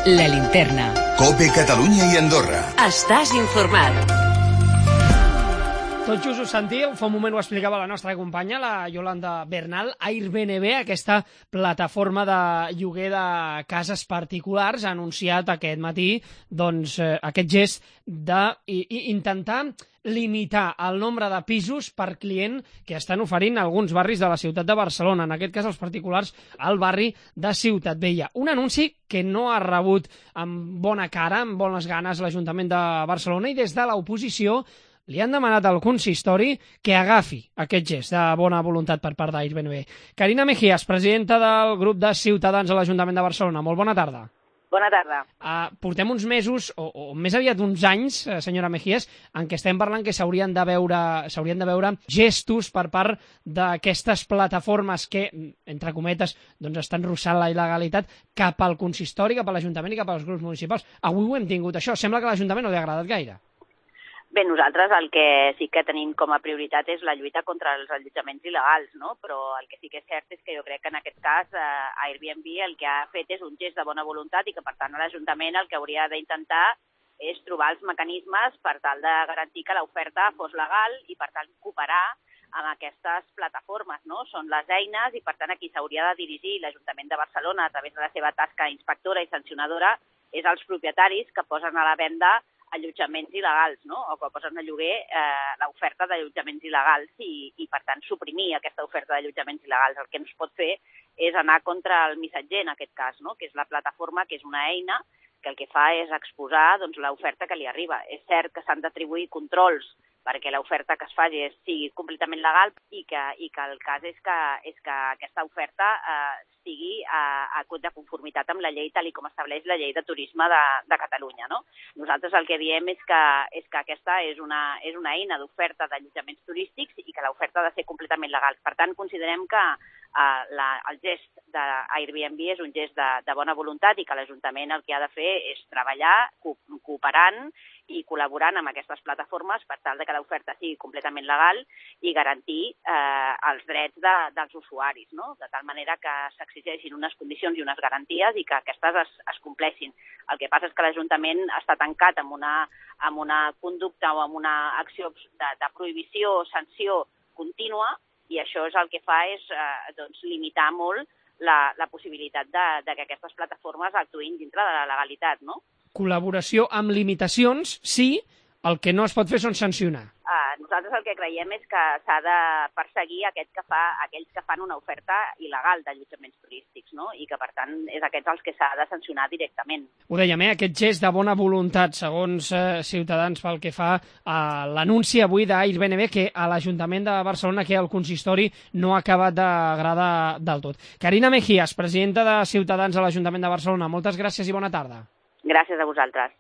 La Linterna. COPE Catalunya i Andorra. Estàs informat. Tot just us sentíeu, fa un moment ho explicava la nostra companya, la Yolanda Bernal. Airbnb, aquesta plataforma de lloguer de cases particulars, ha anunciat aquest matí aquest gest d'intentar limitar el nombre de pisos per client que estan oferint alguns barris de la ciutat de Barcelona, en aquest cas els particulars al barri de Ciutat Vella. Un anunci que no ha rebut amb bona cara, amb bones ganes l'Ajuntament de Barcelona, i des de l'oposició li han demanat al consistori que agafi aquest gest de bona voluntat per part d'Airbnb. Carina Mejías, presidenta del grup de Ciutadans a l'Ajuntament de Barcelona. Molt bona tarda. Bona tarda. Portem uns mesos, o més aviat uns anys, senyora Mejías, en què estem parlant que s'haurien de veure gestos per part d'aquestes plataformes que, entre cometes, estan russant la il·legalitat cap al consistori, cap a l'Ajuntament i cap als grups municipals. Avui ho hem tingut, això. Sembla que a l'Ajuntament no li ha agradat gaire. Bé, nosaltres el que sí que tenim com a prioritat és la lluita contra els allotjaments il·legals, no? Però el que sí que és cert és que jo crec que en aquest cas Airbnb el que ha fet és un gest de bona voluntat i que, per tant, l'Ajuntament el que hauria d'intentar és trobar els mecanismes per tal de garantir que l'oferta fos legal i, per tant, cooperar amb aquestes plataformes, no? Són les eines i, per tant, a qui s'hauria de dirigir l'Ajuntament de Barcelona a través de la seva tasca inspectora i sancionadora és als propietaris que posen a la venda allotjaments il·legals, no? O que posen a lloguer l'oferta d'allotjaments il·legals i, per tant, suprimir aquesta oferta d'allotjaments il·legals. El que no es pot fer és anar contra el missatger, en aquest cas, no? Que és la plataforma, que és una eina que el que fa és exposar l'oferta que li arriba. És cert que s'han d'atribuir controls perquè l'oferta que es faci sigui completament legal i que el cas és que aquesta oferta sigui de conformitat amb la llei tal com estableix la llei de turisme de Catalunya, no? Nosaltres el que diem és que aquesta és una eina d'oferta d'allotjaments turístics i que l'oferta ha de ser completament legal. Per tant, considerem que el gest d'Airbnb és un gest de bona voluntat i que l'Ajuntament el que ha de fer és treballar cooperant i col·laborant amb aquestes plataformes per tal que l'oferta sigui completament legal i garantir els drets dels usuaris, no? De tal manera que s'exigeixin unes condicions i unes garanties i que aquestes es compleixin. El que passa és que l'Ajuntament està tancat amb una conducta o amb una acció de prohibició o sanció contínua i això és el que fa és limitar molt la possibilitat que aquestes plataformes actuïn dintre de la legalitat, no? Col·laboració amb limitacions, sí, el que no es pot fer són sancionar. Nosaltres el que creiem és que s'ha de perseguir aquells que fan una oferta il·legal d'allotjaments turístics, no? I que, per tant, és aquests els que s'ha de sancionar directament. Ho dèiem, aquest gest de bona voluntat, segons Ciutadans, pel que fa a l'anunci avui d'Airbnb, que a l'Ajuntament de Barcelona, que el consistori no ha acabat d'agradar del tot. Carina Mejías, presidenta de Ciutadans a l'Ajuntament de Barcelona, moltes gràcies i bona tarda. Gràcies a vosaltres.